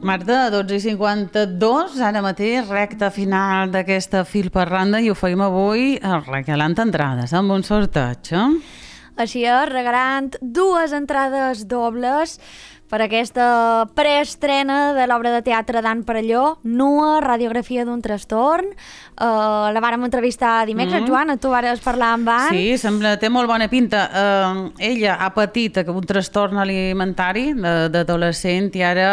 Marta, 12:52, ara mateix, recta final d'aquesta fil per randa i ho feim avui regalant entrades amb un sorteig. Així és, regalant 2 entrades dobles per aquesta preestrena de l'obra de teatre d'Ann Perelló, Nua, radiografia d'un trastorn. La vàrem entrevistar dimecres, Joana, tu vares parlar amb Ann. Sí, té molt bona pinta. Ella ha patit un trastorn alimentari d'adolescent i ara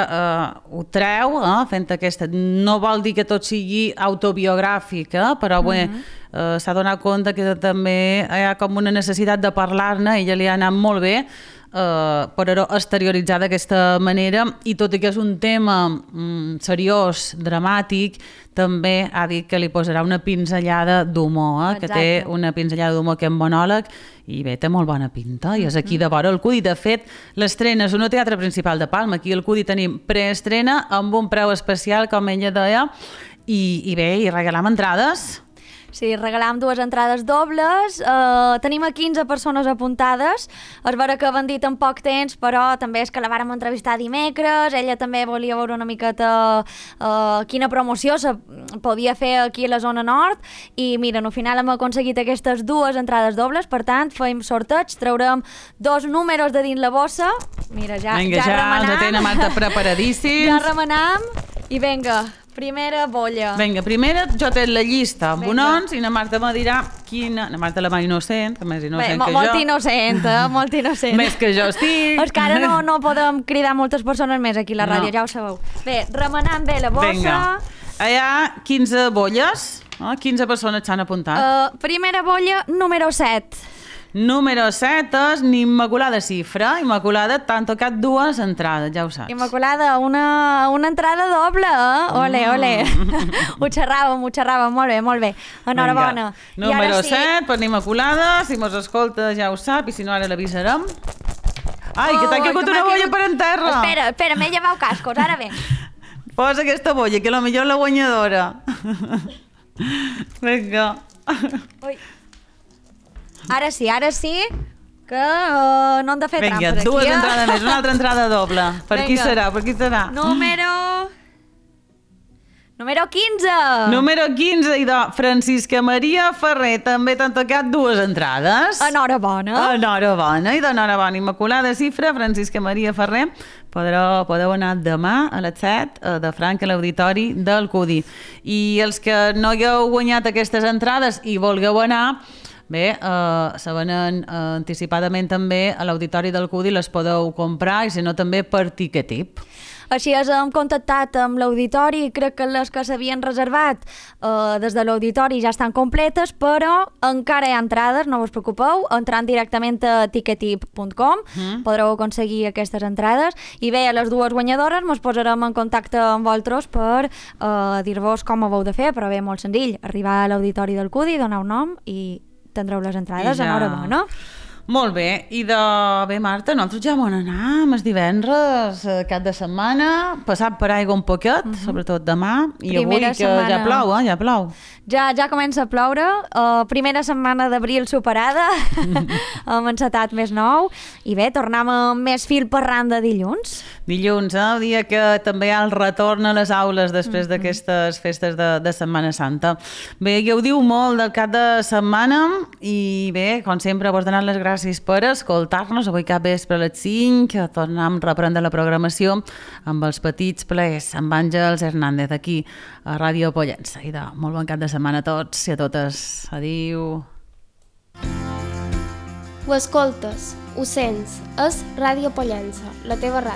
ho treu, fent aquesta... No vol dir que tot sigui autobiogràfic, però bé, s'ha donat compte que també hi ha com una necessitat de parlar-ne, ella li ha anat molt bé, però exterioritzar d'aquesta manera, i tot i que és un tema seriós, dramàtic, també ha dit que li posarà una pinzellada d'humor, que té una pinzellada d'humor que és monòleg, i bé, té molt bona pinta, i és aquí de vora el Cudi. De fet, l'estrena és un teatre principal de Palma, aquí al Cudi tenim preestrena amb un preu especial, com ella deia, i bé, i regalam entrades. Sí, regalam 2 entrades dobles, tenim a 15 persones apuntades, és vera que van dit en poc temps, però també és que la vàrem entrevistar dimecres, ella també volia veure una miqueta quina promoció se podia fer aquí a la zona nord, i mira, al final hem aconseguit aquestes 2 entrades dobles, per tant, feim sorteig, traurem 2 números de dins la bossa, mira, ja remenam. Vinga, ja els tenen Marta preparadíssims. Ja remenam, i vinga, primera bolla. Vinga, primera jo té la llista amb bonons i la Marta me dirà quina... La Marta la mà innocent, que més innocent que jo. Molt innocent, molt innocent. Més que jo estic. És que ara no podem cridar moltes persones més aquí a la ràdio, ja ho sabeu. Bé, remenant bé la bossa. Vinga, hi ha 15 bolles, 15 persones s'han apuntat. Primera bolla, número 7. Número 7 és Immaculada Cifra. Immaculada, t'han tocat 2 entrades, ja ho saps. Immaculada, una entrada doble, Ole, ole. Ho xerràvem, molt bé. Enhorabona. Número 7 per Immaculada, si mos escolta ja ho sap, i si no ara l'avisarem. Ai, que t'ha caigut una bolla per en terra. Espera, m'he llevat cascos, ara bé. Posa aquesta bolla, que potser la guanyadora. Vinga. Ui. Ara sí, que no hem de fer trampes aquí. Vinga, 2 entrades més, una altra entrada doble. Per qui serà? Número 15. Número 15, i de Francisca Maria Ferrer, també t'han tocat 2 entrades. Enhorabona. Enhorabona, i d'enhorabona. Immaculada Cifra, Francisca Maria Ferrer, podeu anar demà a les 7 de franc a l'auditori del Cudi. I els que no hagueu guanyat aquestes entrades i vulgueu anar, bé, se venen anticipadament també a l'auditori del Cudi, les podeu comprar, i si no també per Ticketip. Així és, hem contactat amb l'auditori, crec que les que s'havien reservat des de l'auditori ja estan completes, però encara hi ha entrades, no us preocupeu, entrant directament a ticketip.com podreu aconseguir aquestes entrades, i bé, a les 2 guanyadores ens posarem en contacte amb vosaltres per dir-vos com ho heu de fer, però bé, molt senzill, arribar a l'auditori del Cudi, donar un nom i tindreu les entrades, enhorabona. Molt bé, i bé, Marta, nosaltres ja vam anar el divendres, cap de setmana, passat per aigua un poquet, sobretot demà, i avui que ja plou, ja plou. Ja comença a ploure, primera setmana d'abril superada, hem encetat més nou, i bé, tornem amb més fil per randa dilluns. Dilluns, el dia que també hi ha el retorn a les aules després d'aquestes festes de Setmana Santa. Bé, ja ho diu molt del cap de setmana, i bé, com sempre, vos donant les gràcies per escoltar-nos. Avui cap vespre a les 5 tornem a reprendre la programació amb els petits plaers, amb Àngels Hernández aquí a Ràdio Pollença. I molt bon cap de setmana a tots i a totes. Adéu. Ho escoltes, ho sents, és Ràdio Pollença, la teva ràdio.